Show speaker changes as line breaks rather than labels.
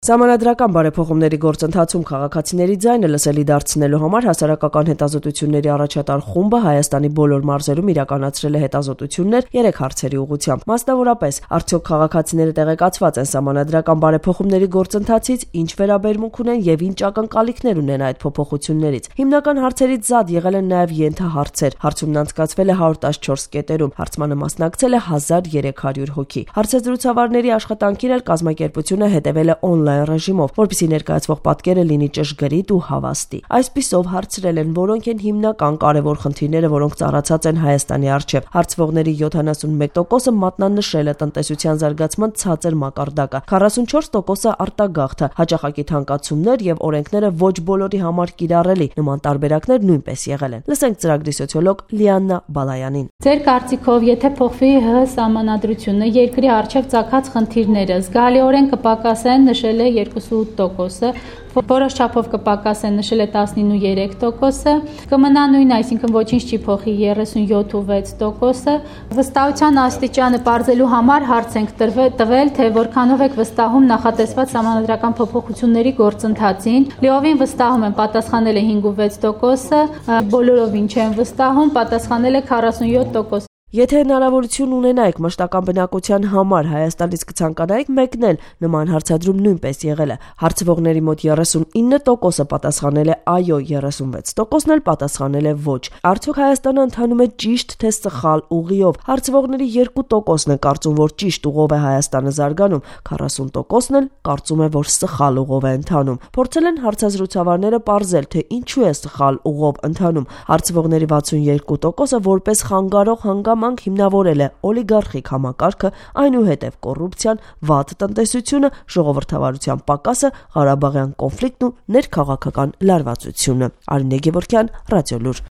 Սահմանադրական բարեփոխումների գործընթացում քաղաքացիների ձայնը լսելի դարձնելու համար հասարակական հետազոտությունների առաջատար խումբը Հայաստանի բոլոր մարզերում իրականացրել է հետազոտություններ 3 հարցերի ուղղությամբ։ Մասնավորապես, արդյոք քաղաքացիները տեղեկացված են սահմանադրական բարեփոխումների գործընթացից, ինչ վերաբերմունք ունեն եւ ինչ ակնկալիքներ ունեն այդ փոփոխություններից։ Հիմնական հարցերից զատ եղել են նաեւ ենթահարցեր։ Հարցումն անցկացվել է 114 կետերում, հարցմանը մասնակցել է 1300 հոգի։ Հարցազրույցավարների աշխատանքին էլ կազմակերպությունը հետևել է օնլայն ռեժիմով, որպեսզի ներկայացվող պատկերը լինի ճշգրիտ ու հավաստի։ Այսպիսով հարցրել են, որոնք են հիմնական կարևոր խնդիրները, որոնք ծառացած են Հայաստանի առջև։ Հարցվողների 71%-ը մատնանշել է տնտեսության զարգացման ցածր մակարդակը, 44%-ը արտագաղթը, հաճախակի թանկացումներ եւ օրենքները ոչ բոլորի համար կիրառելի։ Նման տարբերակներ նույնպես եղել են։ Լսենք ծրագրի սոցիոլոգ Լիաննա Բալայանին։
Ձեր կարծիքով, եթե փոխվի ՀՀ սահմանադրությունը, երկրի առջև ծագած խնդիրները զգալիորեն կպակասեն, նշել է 2.8%-ը, որոշ չափով կպակասեն, նշել է 19.3%-ը, կմնա նույն, այսինքն ոչինչ չի փոխի 37.6%-ը։ Վստահության աստիճանը պարզելու համար հարց ենք տվել, թե որքանով եք վստահում նախատեսված սահմանադրական փոփոխությունների գործընթացին։ Լիովին վստահում են, պատասխանել է 5.6%-ը, բոլորովին չեն վստահում, պատասխանել է 47%։
Եթե հնարավորություն ունենայիք մշտական բնակության համար Հայաստանից կցանկանայիք մեկնել, նման հարցադրում նույնպես եղել է։ Հարցվողների մոտ 39%-ը պատասխանել է այո, 36%-ն էլ պատասխանել է ոչ։ Արդյոք Հայաստանը ընթանում է ճիշտ թե սխալ ուղիով։ Հարցվողների 2%-ն է կարծում, որ ճիշտ ուղով է Հայաստանը զարգանում, 40%-ն էլ կարծում է, որ սխալ ուղով է ընթանում։ Փորձել են հարցազրույցավարները պարզել, թե ինչու է սխալ ուղով ընթանում։ Հարցվողների 62%-ը որպես խանգարող հանգամանք հիմնավորել է օլիգարխիկ համակարգը, այնուհետև կոռուպցիան, վատ տնտեսությունը, ժողովրդավարության պակասը, Ղարաբաղյան կոնֆլիկտն ու ներքաղաքական լարվածությունը։ Արինե Գևորգյան, Ռադիոլուր։